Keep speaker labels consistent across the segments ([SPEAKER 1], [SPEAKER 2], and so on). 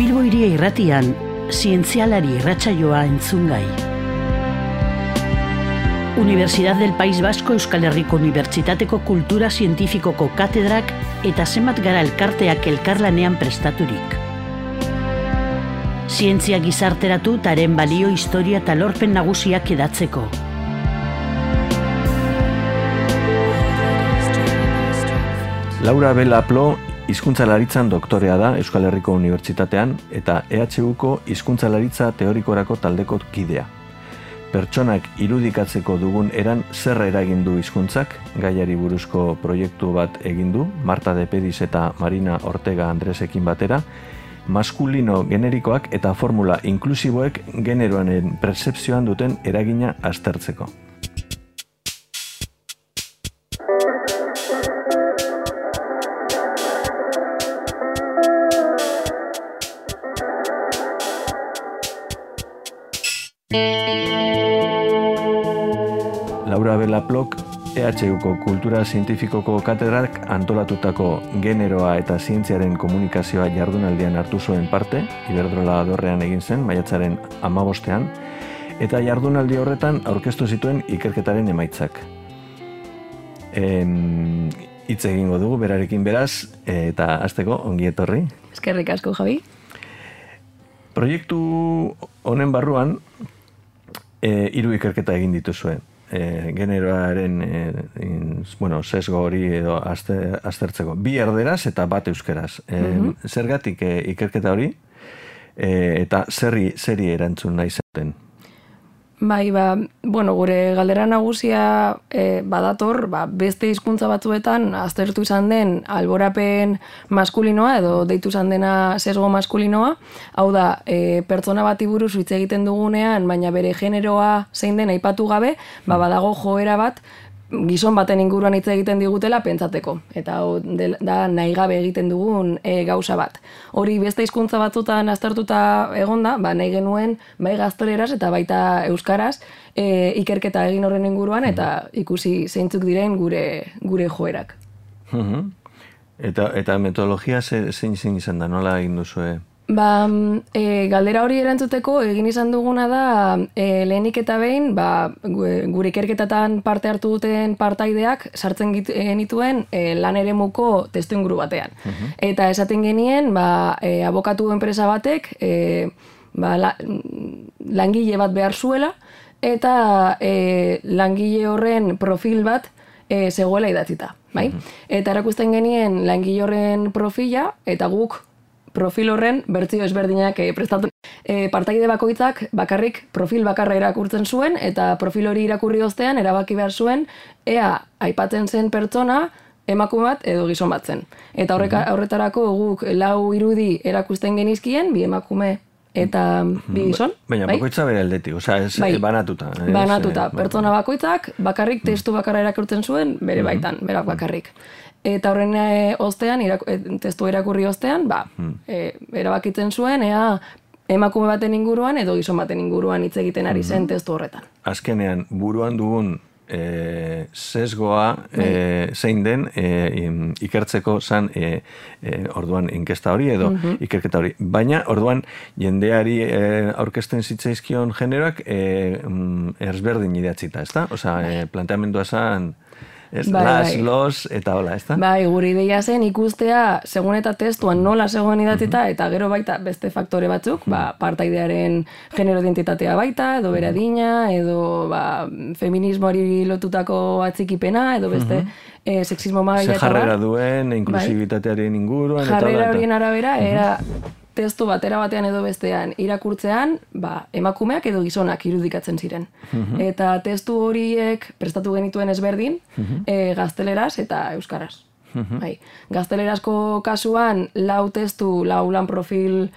[SPEAKER 1] Bilbo Hiria Irratian, zientzialari irratsaioa entzungai. Universidad del País Vasco Euskal Herriko Unibertsitateko Kultura Zientifikoko katedrak eta zenbat gara elkarteak elkarlanean prestaturik. Zientzia gizarteratu eta haren balio, historia eta lorpen nagusiak edatzeko.
[SPEAKER 2] Laura Belaplo hizkuntzalaritzan doktorea da Euskal Herriko Unibertsitatean eta EHUko hizkuntzalaritza teorikorako taldeko kidea. Pertsonak irudikatzeko dugun eran zer eragin du hizkuntzak, gaiari buruzko proiektu bat egin du, Marta de Pedis eta Marina Ortega Andresekin batera, maskulino generikoak eta formula inklusiboek generoaren pertzepzioan duten eragina aztertzeko. Laura Belaplok, EHUko Kultura Zientifikoko katedrak antolatutako generoa eta zientziaren komunikazioa jardunaldian hartu zuen parte, Iberdrola dorrean egin zen, maiatzaren 15ean, eta jardunaldi horretan aurkeztu zituen ikerketaren emaitzak. Hitz egingo dugu, berarekin beraz, eta hasteko ongi etorri.
[SPEAKER 3] Eskerrik asko, Javi.
[SPEAKER 2] Proiektu honen barruan, 3 ikerketa egin dituzuen. Generoaren sesgo hori edo aztertzeko. 2 erderaz eta 1 euskeraz. Zergatik ikerketa hori eta zeri erantzun nahi zen?
[SPEAKER 3] Bai, gure galdera nagusia badator, beste hizkuntza batzuetan aztertu izan den alborapen maskulinoa edo deitu izan dena sesgo maskulinoa, hau da, pertsona bati buruz hitz egiten dugunean, baina bere generoa zein den aipatu gabe, badago joera bat, gizon baten inguruan hitz egiten digutela pentsateko. Eta da nahi gabe egiten dugun gauza bat. Hori beste hizkuntza batzutan aztertuta egonda, nahi genuen bai gazteleraz eta baita euskaraz ikerketa egin horren inguruan eta ikusi zeintzuk diren gure joerak.
[SPEAKER 2] Eta metodologia zein izan da, nola egin duzue?
[SPEAKER 3] Galdera hori erantzuteko egin izan duguna da lehenik eta behin gure ikerketatan parte hartu duten partaideak sartzen genituen lan eremuko testuinguru batean. Eta esaten genien abokatu enpresa batek langile bat behar zuela eta langile horren profil bat zegoela idatzita. Eta erakusten genien langile horren profila eta guk profil horren bertsio ezberdinak prestatu. Partaide bakoitzak bakarrik profil bakarra irakurtzen zuen eta profil hori irakurri ostean erabaki behar zuen ea aipatzen zen pertsona emakume bat edo gizon bat zen. Eta horretarako guk 4 irudi erakusten genizkien, 2 emakume eta 2 gizon.
[SPEAKER 2] Baina bakoitza bere aldetik, banatuta.
[SPEAKER 3] Banatuta, pertsona bakoitzak bakarrik testu bakarra irakurtzen zuen bere baitan, berak bakarrik. Eta horren ostean, testu irakurri ostean, erabakitzen zuen, ea emakume baten inguruan edo gizon baten inguruan hitz egiten ari zen testu horretan.
[SPEAKER 2] Azkenean, buruan dugun sesgoa zein den ikertzeko zan orduan inkesta hori edo ikerketa hori. Baina, orduan, jendeari aurkezten zitzaizkion generoak ezberdin idatzita, ezta? Planteamendua zan los, eta hola, ez da?
[SPEAKER 3] Gure ideia zen ikustea, segun eta testuan nola zegoen idatzita, eta gero baita beste faktore batzuk, partaidearen genero identitatea baita, edo bere adina, edo feminismoari lotutako atzikipena, edo beste sexismo maila.
[SPEAKER 2] Ze jarrera duen, inklusibitatearen inguruan, eta
[SPEAKER 3] jarrera horien arabera, era testu batera batean edo bestean irakurtzean, emakumeak edo gizonak irudikatzen ziren. Eta testu horiek prestatu genituen ezberdin, gazteleraz eta euskaraz. Gaztelerazko kasuan 4 testu, 4 lan profil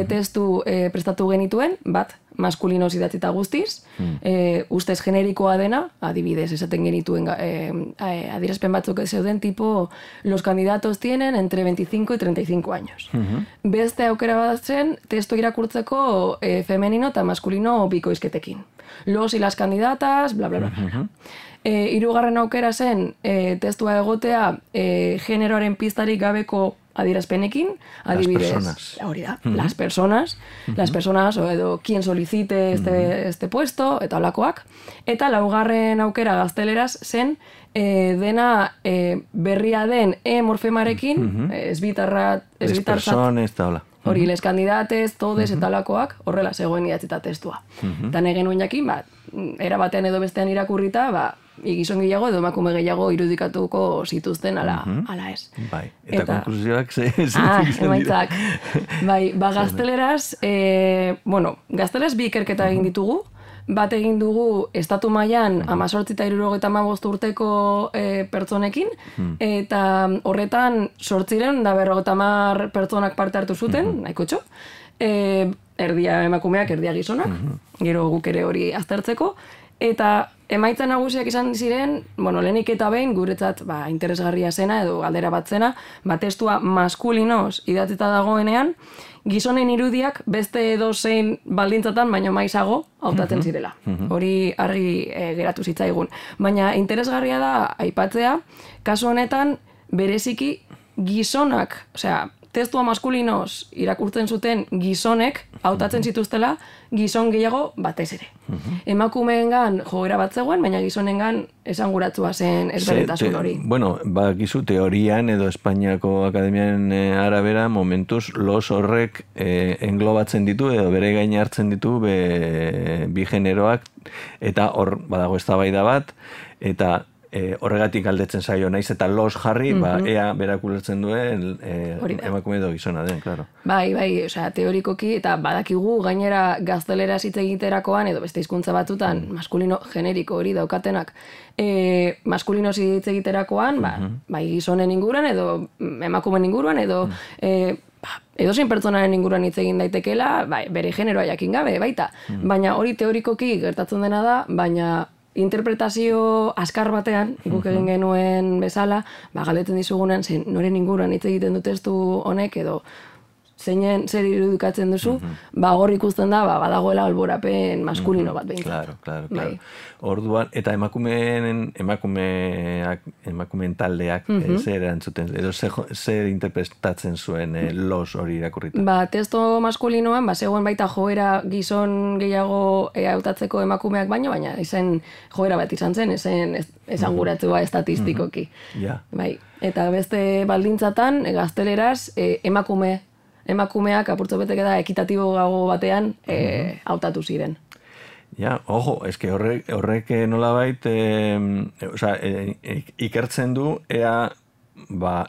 [SPEAKER 3] testu prestatu genituen, bat maskulinoz idatzita guztiz, ustez generikoa dena, adibidez, esaten genituen adierazpen batzuk zeuden tipo, los candidatos tienen entre 25 y 35 años. Beste aukera badatzen, testu irakurtzeko femenino eta maskulino bikoizketekin. Los y las candidatas, bla, bla, bla. Hirugarren aukera zen testua egotea generoaren piztarik gabeko adierazpenekin, adibidez, hori da, las personas, o edo quien solicite este puesto, eta holakoak. Eta laugarren aukera gazteleraz zen, dena berria den morfemarekin,
[SPEAKER 2] Les persones, eta hola.
[SPEAKER 3] Hori, les candidates, todes eta holakoak, horrela zegoen idatzita testua. Eta nahi genuen jakin, era batean edo bestean irakurrita, gizon gehiago edo emakume gehiago irudikatuko zituzten ala ez.
[SPEAKER 2] Bai, eta konklusioak
[SPEAKER 3] emaitzak. Bai, gazteleraz, gazteleraz bi ikerketa egin ditugu, bat egin dugu estatu mailan 18 eta 75 urteko pertsonekin, eta horretan 850 pertsonak parte hartu zuten, nahiko txo, erdia emakumeak, erdia gizonak, gero guk ere hori aztertzeko, eta emaitza nagusiak izan ziren, lehenik eta behin guretzat interesgarria zena edo galdera bat zena, testua maskulinoz idatzita dagoenean, gizonen irudiak beste edozein baldintzatan baino maizago hautatzen zirela. Hori argi geratu zitzaigun. Baina interesgarria da aipatzea, kasu honetan bereziki gizonak, testua maskulinoz irakurtzen zuten gizonek hautatzen zituztela gizon gehiago batez ere. Emakumeengan joera bat zegoen, baina gizonengan esanguratsua zen ezberdintasun hori.
[SPEAKER 2] Gizu teorian edo Espainiako Akademiaren arabera momentuz los horrek englobatzen ditu edo bere gain hartzen ditu bi generoak eta hor badago eztabaida bat eta horregatik aldetzen zaio naiz eta los jarri, ea berak ulertzen duen emakume edo gizona den, claro.
[SPEAKER 3] Bai, teorikoki, eta badakigu gainera gazteleraz hitz egiterakoan, edo beste hizkuntza batutan, maskulino generiko hori daukatenak, maskulino hitz egiterakoan, bai gizonen inguruan, edo emakumeen inguruan, edo edozein pertsonaren inguruan hitz egin daitekela, bere generoa jakin gabe, baita. Baina hori teorikoki gertatzen dena da, baina interpretazio askar batean, guk egin genuen bezala, galdetzen dizugunean, noren inguruan hitz egiten du testu honek, edo zer irudikatzen duzu, hor ikusten da, badagoela alborapen maskulino bat behintzat.
[SPEAKER 2] Claro. Orduan, eta emakumeen taldeak zer erantzuten, edo zer interpretatzen zuen los hori irakurrita?
[SPEAKER 3] Testo maskulinoan, zegoen baita joera gizon gehiago hautatzeko emakumeak baina izen joera bat izan zen, esanguratzua estatistikoki. Eta beste baldintzatan, gazteleraz, emakumeak apurtzo beteke da ekitatibo gago batean hautatu ziren.
[SPEAKER 2] Ojo, eske horrek nolabait, ikertzen du, ea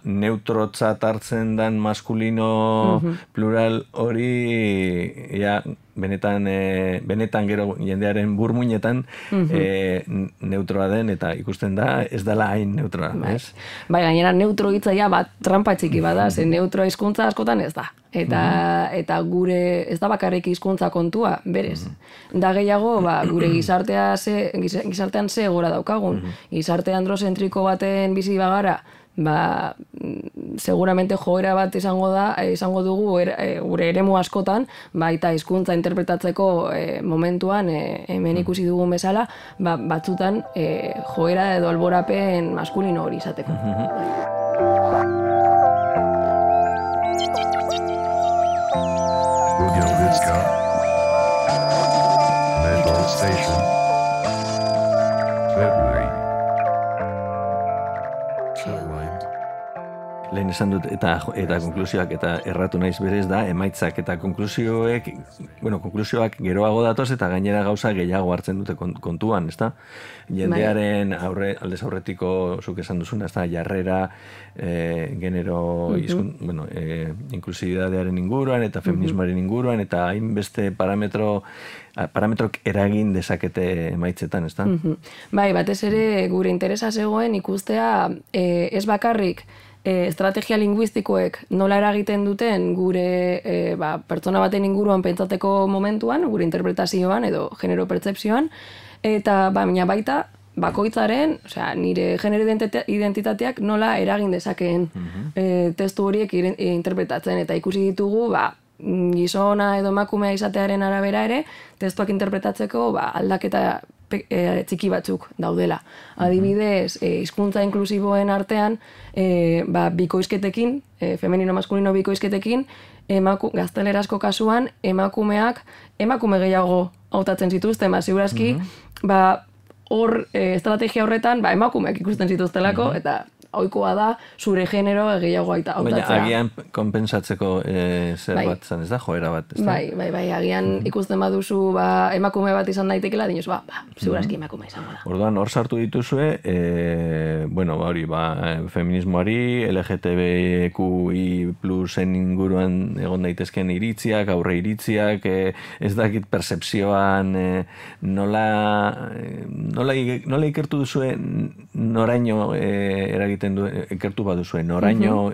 [SPEAKER 2] neutrotzat hartzen dan maskulino plural hori, benetan gero jendearen burmuinetan neutroa den, eta ikusten da, ez dela hain neutroa, ez?
[SPEAKER 3] Gainera neutro hitzaia trampa txiki bada, zen neutroa hizkuntza askotan ez da. Eta gure, ez da bakarrik hizkuntza kontua, berez. Da gehiago, gure gizartean ze gora daukagun. Gizarte androzentriko baten bizi bagara, seguramente joera bat izango dugu gure eremu askotan, eta hizkuntza interpretatzeko momentuan hemen ikusi dugun bezala, batzutan joera edo alborapen maskulino hori izateko.
[SPEAKER 4] Mental Station, February.
[SPEAKER 2] Lehen esan dut, eta konklusioak eta erratu naiz berez da, emaitzak eta konklusioak geroago datoz eta gainera gauza gehiago hartzen dute kontuan, ezta? Jendearen aldez aurretiko zuk esan duzuna, ezta? Jarrera, genero, inklusibidadearen inguruan eta feminismoaren inguruan eta hainbeste parametrok eragin dezakete emaitzetan, ezta?
[SPEAKER 3] Batez ere gure interesa zegoen ikustea ez bakarrik estrategia linguistikoek nola eragiten duten gure pertsona baten inguruan pentsateko momentuan, gure interpretazioan edo genero pertzepzioan, eta baina baita bakoitzaren, nire genero identitateak nola eragin dezakeen testu horiek interpretatzen, eta ikusi ditugu gizona edo emakumea izatearen arabera ere, testuak interpretatzeko aldaketa txiki batzuk daudela. Adibidez, hizkuntza inklusiboen artean, bikoizketekin, femenino maskulino bikoizketekin, gaztelerasko kasuan, emakume gehiago hautatzen zituzten, ziurazki, hor, estrategia horretan, emakumeak ikusten zituztelako, eta ohikoa da, zure genero gehiago hautatzea.
[SPEAKER 2] Baina agian konpensatzeko zer bat zan, ez da, joera bat, ez da?
[SPEAKER 3] Bai, agian ikusten baduzu emakume bat izan daitekela, dinuz, segurazki emakume izango da.
[SPEAKER 2] Orduan, hor sartu dituzue, feminismoari, LGTBQI plusen inguruan egon daitezken iritziak, aurre iritziak, ez dakit percepzioan, nola ikertu duzue noraino ikertu baduzue, noraino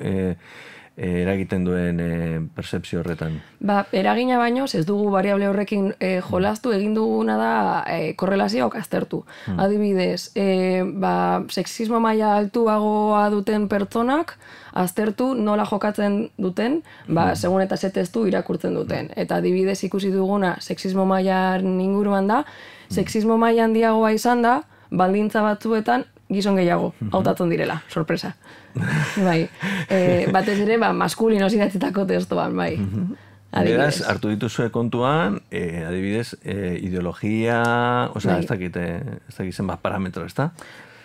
[SPEAKER 2] eragiten duen percepzio horretan?
[SPEAKER 3] Eragina baino, ez dugu variable horrekin jolastu, egin duguna da korrelazioak aztertu. Adibidez, sexismo maila altuagoa duten pertsonak, aztertu nola jokatzen duten, segun eta ze testu irakurtzen duten. Eta adibidez ikusi duguna sexismo mailan inguruan da, sexismo maila handiagoa izan da, baldintza batzuetan gizon gehiago hautatzen direla, sorpresa. Batez ere, maskulino idatzetako testoan, bai.
[SPEAKER 2] Beraz, hartu dituzue kontuan, adibidez, ideologia, ez dakit zenbat parametro, ez da?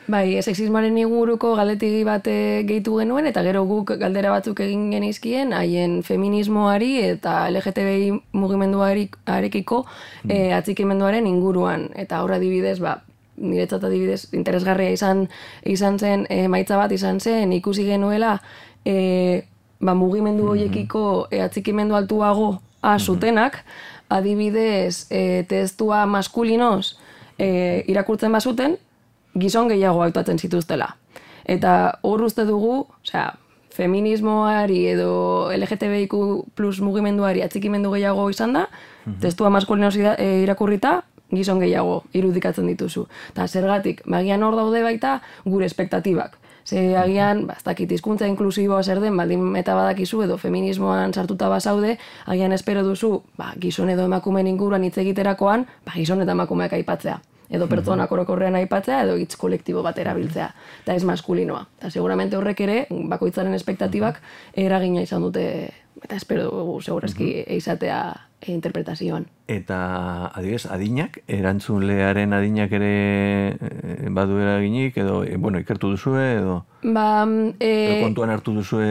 [SPEAKER 3] Bai, sexismoaren inguruko galdetegi bat gehitu genuen, eta gero guk galdera batzuk egin genizkien, haien feminismoari eta LGTBI mugimenduarekiko atxikimenduaren inguruan. Eta horra adibidez, niretzat adibidez interesgarria izan zen, emaitza bat izan zen, ikusi genuela mugimendu horiekiko atxikimendu altuago zutenak, adibidez testua maskulinoz irakurtzen bazuten, gizon gehiago hautatzen zituztela. Eta hor uste dugu, feminismoari edo LGTBIQ plus mugimenduari atxikimendu gehiago izan da, testua maskulinoz irakurrita, gizon gehiago irudikatzen dituzu. Eta zergatik, agian hor daude baita gure espektatibak. Agian, ez dakit hizkuntza inklusiboa zer den, baldin eta badakizu edo feminismoan sartuta bazaude, agian espero duzu, gizon edo emakumeen inguruan hitz egiterakoan, gizon eta emakumeak aipatzea. Edo pertsonak orokorrean aipatzea, edo hitz kolektibo bat erabiltzea. Eta ez maskulinoa. Eta seguramente horrek ere, bakoitzaren espektatibak eragina izan dute, eta espero dugu segurazki izatea interpretazioan.
[SPEAKER 2] Eta, adibidez, adinak, erantzunlearen adinak ere badu eraginik, edo, ikertu duzue, edo kontuan hartu duzue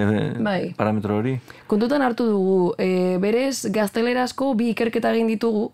[SPEAKER 2] parametro hori?
[SPEAKER 3] Kontutan hartu dugu, berez gaztelerazko bi ikerketa egin ditugu,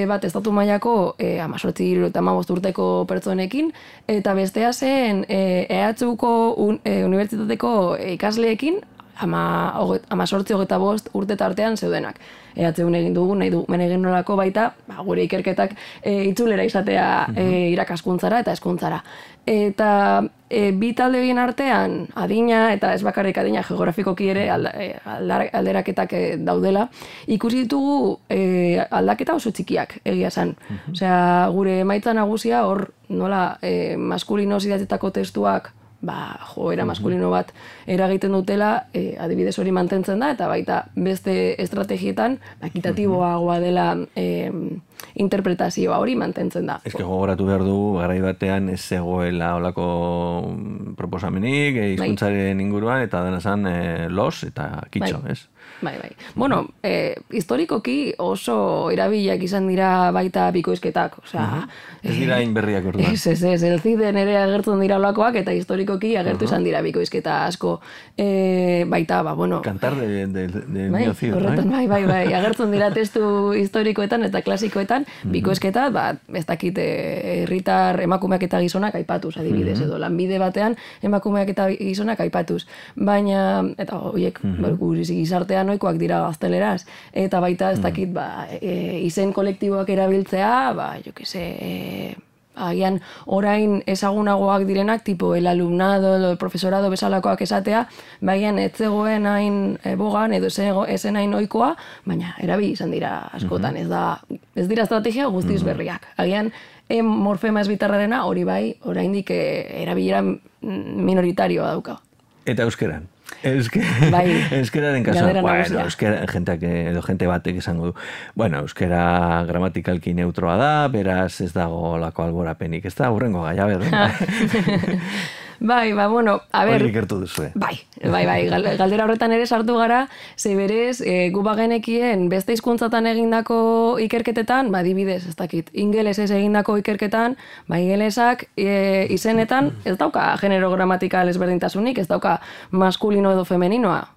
[SPEAKER 3] bat estatu mailako 18 eta 15 urteko pertsonekin, eta bestea zen EHUko unibertsitateko ikasleekin, 18-25 urte tartean zeudenak. EHUn egin dugu, nahi du egin nolako baita, gure ikerketak itzulera izatea irakaskuntzara eta hezkuntzara. Eta bi talde horien artean, adina, eta ez bakarrik adina geografikoki ere alderaketak daudela, ikusi ditugu aldaketa oso txikiak egia esan. Osea, gure emaitza nagusia hor nola maskulinoz idatzetako testuak joera maskulino bat eragiten dutela, adibidez hori mantentzen da, eta baita beste estrategietan ekitatiboagoa dela interpretazioa hori mantentzen da.
[SPEAKER 2] Eske gogoratu behar du, garai batean ez zegoela olako proposamenik, hizkuntzaren inguruan, eta dena zan los eta kitxo, ez?
[SPEAKER 3] Bai. Bueno, historikoki oso erabiliak izan dira baita bikoizketak.
[SPEAKER 2] Ez dira inberriak orduan.
[SPEAKER 3] Ez, elziden ere agertzen dira olakoak, eta historikoki agertu izan dira bikoizketa asko. Baita,
[SPEAKER 2] Kantar de Mio Cid,
[SPEAKER 3] bai. Agertzen dira testu historikoetan eta klasikoetan, bikoizketa, ez dakit herritar emakumeak eta gizonak aipatuz, adibidez, edo lanbide batean emakumeak eta gizonak aipatuz. Baina, eta horiek, gizartean ohikoak dira gazteleraz, eta baita ez dakit izen kolektiboak erabiltzea, agian orain ezagunagoak direnak, tipo el alumnado, el profesorado bezalakoak esatea, bagian ez zegoen hain bogan, edo ezen hain ohikoa, baina erabili izan dira askotan, ez dira estrategia guztiz berriak. Agian morfema ez bitarrarena hori bai, oraindik erabilera minoritarioa dauka.
[SPEAKER 2] Eta euskeran? Euskeraren kasuan,
[SPEAKER 3] galdera nagusia.
[SPEAKER 2] jente batek esango du. Bueno, euskera gramatikalki neutroa da, beraz ez dago lako alborapenik, ez da, hurrengo gaia, berda.
[SPEAKER 3] Bai, bueno, a ber...
[SPEAKER 2] Hori ikertu duzue.
[SPEAKER 3] Bai, galdera horretan ere sartu gara, ze berez, gu bagenekien beste hizkuntzatan egindako ikerketetan, adibidez, ez dakit, ingelesez egindako ikerketan, ingelesak izenetan ez dauka genero gramatikal ezberdintasunik, ez dauka maskulino edo femeninoa.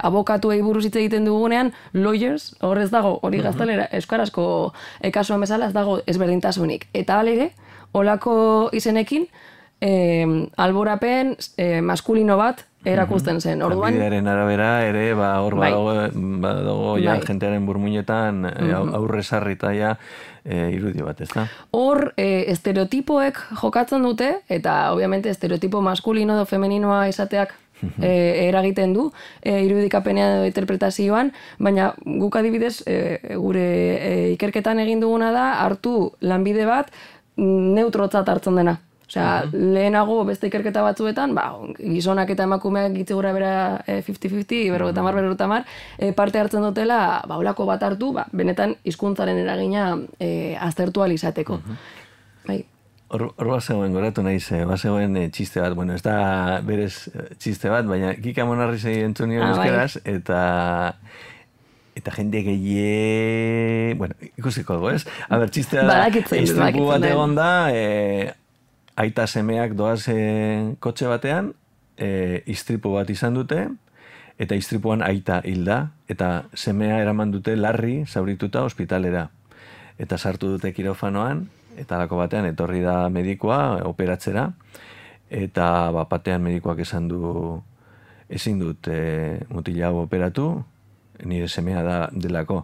[SPEAKER 3] Abokatuei buruz hitz egiten dugunean, lawyers, hor ez dago, hori gaztelera, euskarazko kasuan bezala ez dago ezberdintasunik. Eta alere, olako izenekin, alborapen maskulino bat erakusten zen. Orduan,
[SPEAKER 2] Bidearen arabera ere, hor badago ja jentearen burmuinetan aurre sarrita ja irudio bat, ez da?
[SPEAKER 3] Hor, estereotipoek jokatzen dute, eta obviamente estereotipo maskulino edo femeninoa izateak eragiten du irudikapenean edo interpretazioan, baina guk adibidez gure ikerketan egin duguna da hartu lanbide bat neutrotzat hartzen dena. Osea, lehenago beste ikerketa batzuetan, gizonak eta emakumeak gitzi gura bera 50-50, berrogetamar, parte hartzen dutela, olako bat hartu, benetan hizkuntzaren eragina aztertu ahal izateko. Bai.
[SPEAKER 2] Hor bazegoen, goratu nahi ze, bazegoen txiste bat, bueno, ez da berez txiste bat, baina Kika Monarrizei entzun nio euskeraz, eta jende bueno, ikusiko dugu, ez? A ber, txistea da, istripu bat egon da, aita semeak doaz kotxe batean, istripu bat izan dute, eta istripuan aita hilda, eta semea eraman dute larri zaurituta ospitalera. Eta sartu dute kirofanoan, eta lako batean etorri da medikua operatzera, eta batean medikuak esan du ezin dut mutila hau operatu, nire semea delako.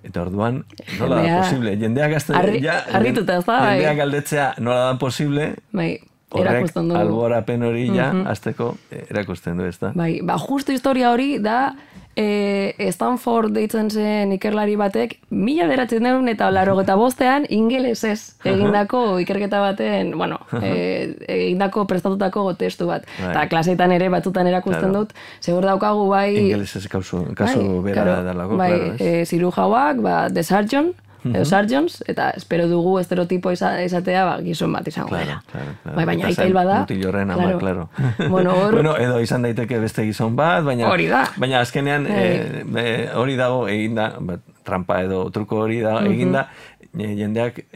[SPEAKER 2] Eta orduan, nola da posible? Jendeak jendeak galdetzea nola da posible, horrek alborapen hori azteko erakusten du, ez da?
[SPEAKER 3] Bai, justu historia hori da Stanford deitzen zen ikerlari batek 1985 ingelesez egindako ikerketa baten, egindako prestatutako testu bat. Eta klaseetan ere batzutan erakusten dut, segur daukagu
[SPEAKER 2] ingelesez kasu bera dalako, claro, ez?
[SPEAKER 3] Zirujauak, The Surgeon, Sargents, eta espero dugu estereotipo izatea gizon bat izango dela. Baina aita hil bada.
[SPEAKER 2] Mutilorren ama, claro.
[SPEAKER 3] Bueno,
[SPEAKER 2] edo izan daiteke beste gizon bat, baina azkenean hori dago eginda, trampa edo truko hori dago eginda, jendeak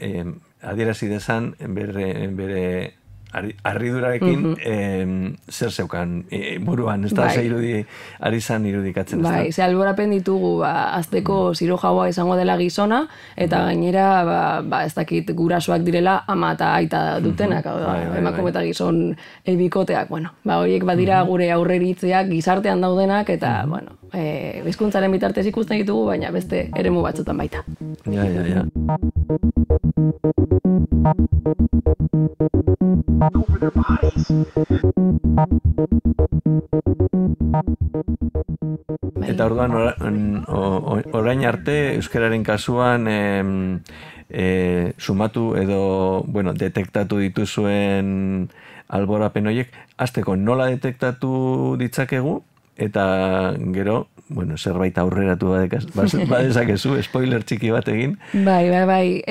[SPEAKER 2] adierazi dezan bere arridurarekin zer zeukan buruan, ez da, ari zan irudikatzen.
[SPEAKER 3] Bai, ze alborapen ditugu, azteko zirujaua izango dela gizona, eta gainera, ez dakit gurasoak direla ama eta aita dutenak, emakume eta gizon bikoteak, horiek badira gure aurreritzeak gizartean daudenak, eta, hizkuntzaren bitartez ikusten ditugu, baina beste eremu batzutan baita.
[SPEAKER 2] Ja.
[SPEAKER 4] Over their bodies.
[SPEAKER 2] Eta orduan orain arte euskararen kasuan sumatu edo detektatu dituzuen alborapen horiek, hasteko nola detektatu ditzakegu eta gero zerbait aurreratu badezakezu, spoiler txiki bat egin.
[SPEAKER 3] Bai.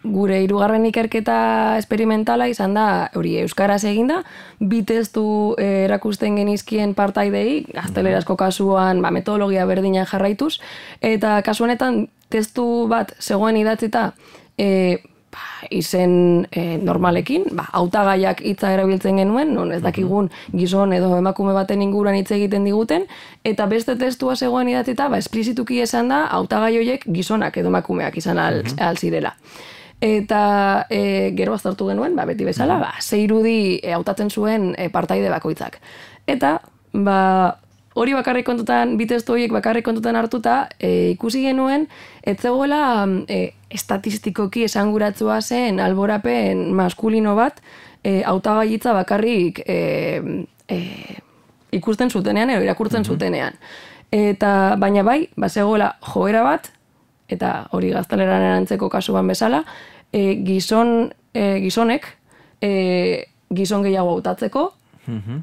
[SPEAKER 3] Gure hirugarren ikerketa esperimentala izan da, hori euskaraz eginda, bi testu erakusten genizkien partaidei, gaztelerazko kasuan metodologia berdinan jarraituz, eta kasu honetan testu bat zegoen idatzita izen normalekin, hautagaiak hitza erabiltzen genuen, non ez dakigun gizon edo emakume baten inguruan hitz egiten diguten, eta beste testua zegoen idatzita, esplizituki esan da, hautagai horiek gizonak edo emakumeak izan alzirela. Eta gero aztertu genuen, beti bezala, 6 irudi hautatzen zuen partaide bakoitzak. Eta, hori bakarrik kontutan, bi testu horiek bakarrik kontutan hartuta, ikusi genuen, ez zegoela estatistikoki esanguratzua zen alborapen maskulino bat, hautagaitza bakarrik ikusten zutenean, edo irakurtzen zutenean. Eta, baina zegoela joera bat, eta hori gazteleran erantzeko kasuan bezala, gizonek gizon gehiago hautatzeko,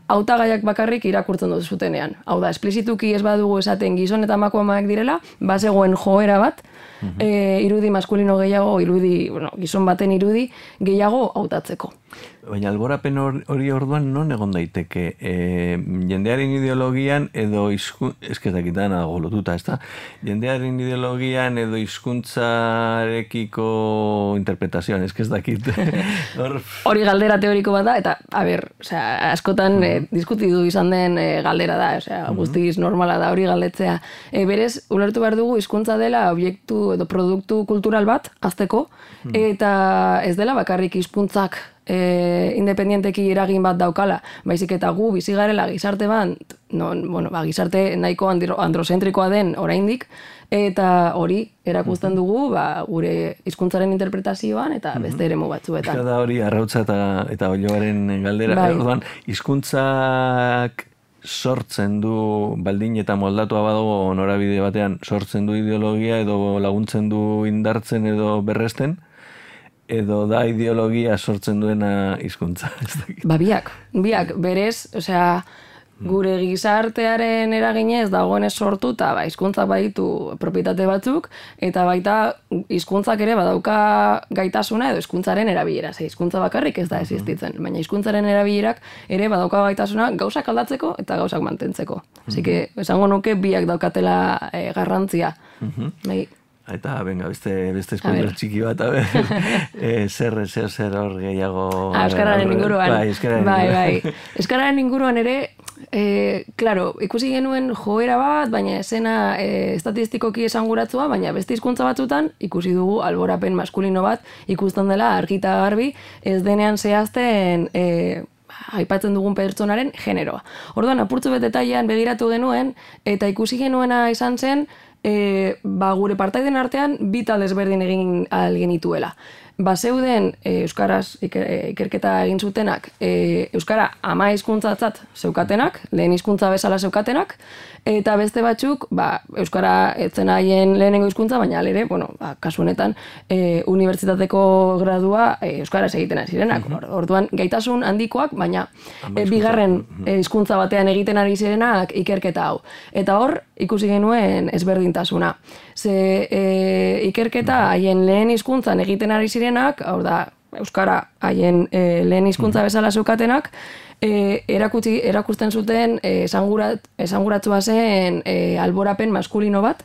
[SPEAKER 3] hautagaiak bakarrik irakurtzen dut zutenean. Hau da, esplizituki ez badugu esaten gizon eta emakumeak direla, bazegoen joera bat, irudi maskulino gehiago, gizon baten irudi gehiago hautatzeko.
[SPEAKER 2] Baina alborapen hori orduan non egon daiteke? Jendearen ideologian edo eskezakitan dago lotuta, ez da? Jendearen ideologian edo hizkuntzarekiko interpretazioan, ez dakit.
[SPEAKER 3] Hori galdera teoriko bat da, eta, askotan diskutidu izan den galdera da, guztiz normala da hori galdetzea. Berez, ulertu behar dugu hizkuntza dela objektu edo produktu kultural bat, azteko, eta ez dela bakarrik hizkuntzak independienteki eragin bat daukala, baizik eta gu bizi garela gizarte bat, gizarte nahiko androzentrikoa den oraindik, eta hori erakusten dugu gure hizkuntzaren interpretazioan eta beste eremu batzuetan.
[SPEAKER 2] Da hori arrautza eta oiloaren galdera, orduan hizkuntzak sortzen du, baldin eta moldatua badago norabide batean, sortzen du ideologia edo laguntzen du indartzen edo berresten, edo da ideologia sortzen duena hizkuntza.
[SPEAKER 3] Biak, berez, gure gizartearen eraginez dagoenez sortuta, hizkuntzak baditu propietate batzuk, eta baita hizkuntzak ere badauka gaitasuna edo hizkuntzaren erabilera. Hizkuntza bakarrik ez da existitzen, baina hizkuntzaren erabilerak ere badauka gaitasuna gauzak aldatzeko eta gauzak mantentzeko. Así que, esango nuke biak daukatela garrantzia.
[SPEAKER 2] Eta, beste spoiler txiki bat, zer hor gehiago...
[SPEAKER 3] Euskararen inguruan. Bai. Euskararen inguruan ere, claro, ikusi genuen joera bat, baina esena estatistikoki esanguratzua, baina beste hizkuntza batzutan ikusi dugu alborapen maskulino bat ikusten dela argita garbi, ez denean zehazten aipatzen dugun pertsonaren generoa. Orduan, apurtzu bet detailean begiratu genuen, eta ikusi genuena izan zen, gure partaiden artean bi talde ezberdin egin ahal genituela. Bazeuden euskaraz ikerketa egin zutenak, euskara ama hizkuntzatzat zeukatenak, lehen hizkuntza bezala zeukatenak, eta beste batzuk, euskara etzen haien lehenengo hizkuntza, baina ere, kasu honetan, unibertsitateko gradua euskaraz egiten zirenak. Orduan, gaitasun handikoak, baina bigarren hizkuntza batean egiten ari zirenak ikerketa hau. Eta hor, ikusi genuen ezberdintasuna. Ikerketa haien lehen hizkuntzan egiten ari zirenak, hau da, euskara haien lehen hizkuntza bezala zeukatenak, erakusten zuten esanguratsua zen alborapen maskulino bat,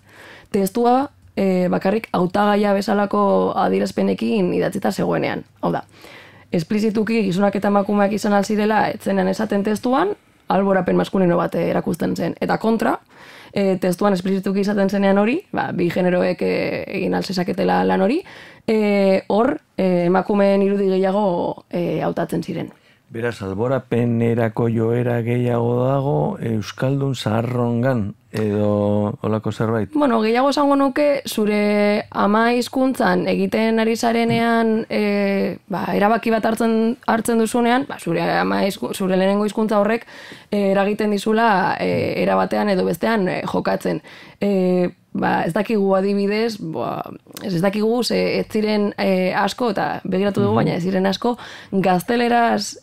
[SPEAKER 3] testua bakarrik hautagaia bezalako adierazpenekin idatzita zegoenean. Hau da, esplizituki gizonak eta emakumeak izan alzirela etzenean esaten testuan, alborapen maskulino bat erakusten zen. Eta kontra, testuan esplizituki izaten zenean hori, bi generoek egin alzezaketela lan hori, hor emakumeen irudi gehiago hautatzen ziren.
[SPEAKER 2] Beraz, alborapenerako joera gehiago dago euskaldun zaharrongan edo olako zerbait?
[SPEAKER 3] Gehiago esango nuke zure ama hizkuntzan egiten ari zarenean erabaki bat hartzen duzunean, zure lehenengo hizkuntza horrek eragiten dizula erabatean edo bestean jokatzen. Ez dakigu adibidez, ez dakigu ez ziren asko, eta begiratu dugu, baina ez ziren asko, gazteleraz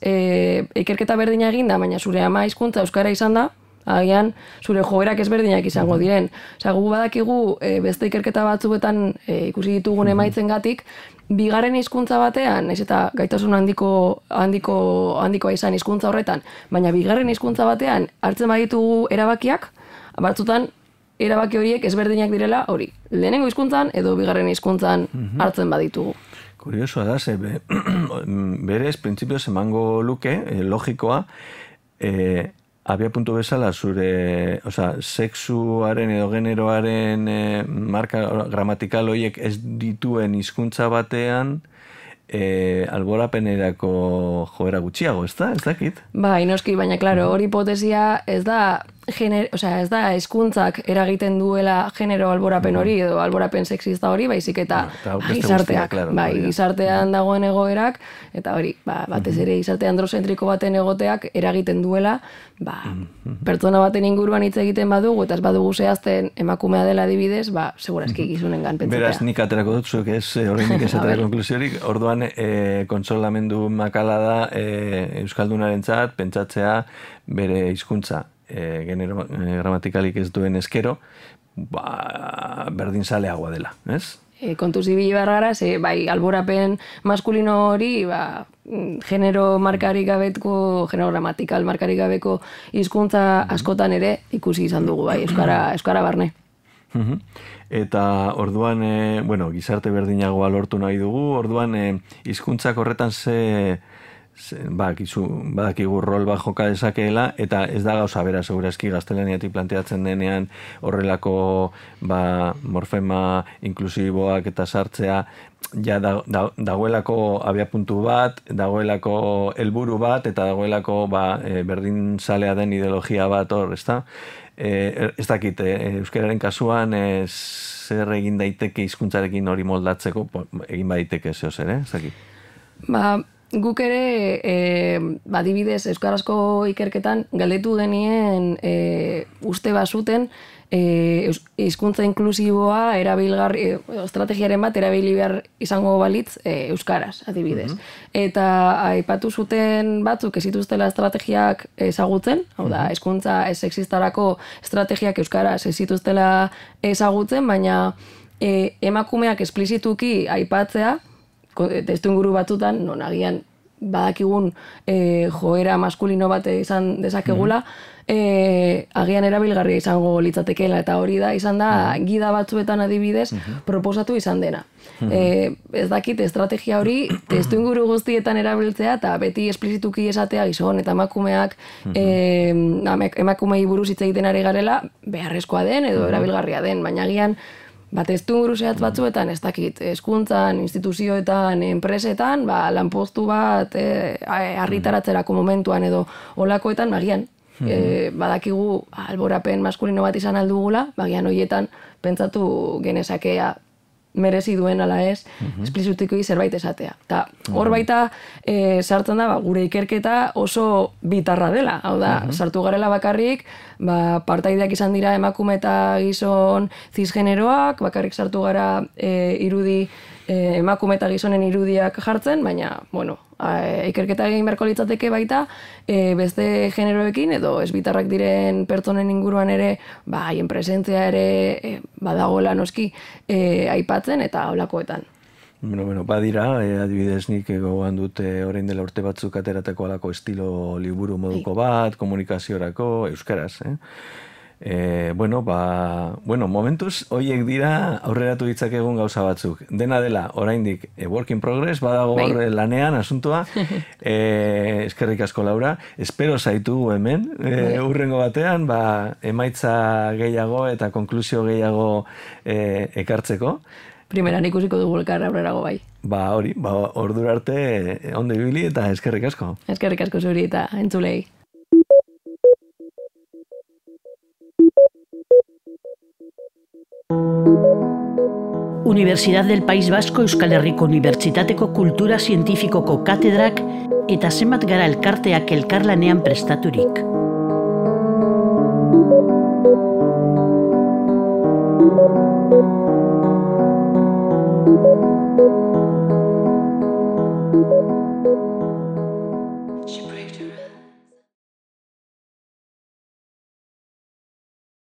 [SPEAKER 3] ikerketa berdina eginda, baina zure ama hizkuntza euskara izan da, agian zure joerak ezberdinak izango diren. Gu badakigu beste ikerketa batzuetan ikusi ditugun emaitzengatik, bigarren hizkuntza batean, ez eta gaitasun handikoa izan hizkuntza horretan, baina bigarren hizkuntza batean hartzen baditugu erabakiak, batzutan erabaki horiek ezberdinak direla hori. Lehenengo hizkuntzan edo bigarren hizkuntzan hartzen baditugu.
[SPEAKER 2] Kuriosoa da, berez, printzipioz emango luke, logikoa, abia puntu bezala zure, sexuaren edo generoaren marka gramatikal horiek ez dituen hizkuntza batean, alborapenerako joera gutxiago, ez da? Ez dakit?
[SPEAKER 3] Inoski, baina, klaro, hori hipotesia ez da ez da hezkuntzak eragiten duela genero alborapen hori edo alborapen sexista hori, baizik eta gizarteak, gizartean dagoen egoerak, eta hori, batez ere gizarte androzentriko baten egoteak eragiten duela, pertsona baten inguruan hitz egiten badugu, eta ez badugu zehazten emakumea dela adibidez, segurazki gizunengan pentsatea.
[SPEAKER 2] Beraz, nik aterako dut, zuek ez, horreinik ez atera konklusiorik, orduan kontsolamendu makala da Euskaldunarentzat pentsatzea bere hizkuntza genero gramatikalik ez duen eskero, berdin saleagoa dela, ez?
[SPEAKER 3] Kontuz ibili behar gara, bai, alborapen maskulino hori, genero markarik gabeko, genero gramatikal markarik gabeko hizkuntza askotan ere ikusi izan dugu, bai, euskara barne.
[SPEAKER 2] Eta orduan, gizarte berdinagoa lortu nahi dugu, orduan hizkuntzak horretan badakigu rol bat joka dezakeela, eta ez da gauza bera segurazki gaztelaniatik planteatzen denean horrelako morfema inklusiboak eta sartzea, ja dagoelako abiapuntu bat, dagoelako helburu bat, eta dagoelako berdin salea den ideologia bat hor, ezta? Ez dakit, euskararen kasuan zer egin daiteke hizkuntzarekin hori moldatzeko, egin daiteke zeo zer, ez dakit?
[SPEAKER 3] Guk ere, adibidez, euskarazko ikerketan galdetu genien uste bazuten hizkuntza inklusiboa erabilgarri, estrategiaren bat erabili behar izango balitz euskaraz, adibidez. Eta aipatu zuten batzuk ez zituztela estrategiak ezagutzen, hau da, hizkuntza sexistarako estrategiak euskaraz ez zituztela ezagutzen, baina emakumeak esplizituki aipatzea, testuinguru batzutan, non agian badakigun joera maskulino bat izan dezakegula, agian erabilgarria izango litzatekeela, eta hori da, izan da, gida batzuetan adibidez, proposatu izan dena. Ez dakit, estrategia hori, testuinguru guztietan erabiltzea, eta beti esplizituki esatea gizon, eta emakumeak, emakumei buruz hitz egiten ari garela, beharrezkoa den, edo erabilgarria den, baina agian, testuinguru zehatz batzuetan, ez dakit, hezkuntzan, instituzioetan, enpresetan, lanpostu bat argitaratzerako momentuan edo olakoetan, bagian, badakigu alborapen maskulino bat izan aldugula, bagian horietan pentsatu genezakea merezi duen ala ez, esplizitikoi zerbait esatea. Eta hor baita sartzen da, gure ikerketa oso bitarra dela. Hau da, sartu garela bakarrik, partaideak izan dira emakume eta gizon cisgeneroak, bakarrik sartu gara irudi emakume eta gizonen irudiak jartzen, baina, ikerketa egin beharko litzateke baita, beste generoekin edo ez bitarrak diren pertsonen inguruan ere, haien presentzia ere badagoela noski aipatzen eta holakoetan.
[SPEAKER 2] Badira, adibidez nik gogoan dut orain dela urte batzuk aterateko alako estilo liburu moduko bat, komunikaziorako, euskaraz, momentuz, horiek dira aurreratu ditzakegun gauza batzuk. Dena dela, oraindik work in progress, badago hor lanean, asuntoa. Eskerrik asko, Laura. Espero zaitu hemen, urrengo batean, emaitza gehiago eta konklusio gehiago ekartzeko.
[SPEAKER 3] Primeran ikusiko dugu elkar aurrerago bai.
[SPEAKER 2] Hori, ordura arte ondo ibili eta eskerrik asko.
[SPEAKER 3] Eskerrik asko zuri eta entzulei.
[SPEAKER 1] Universidad del País Vasco Euskal Herriko Unibertsitateko Kultura Zientifikoko katedrak eta zenbat gara elkarteak elkarlanean prestaturik.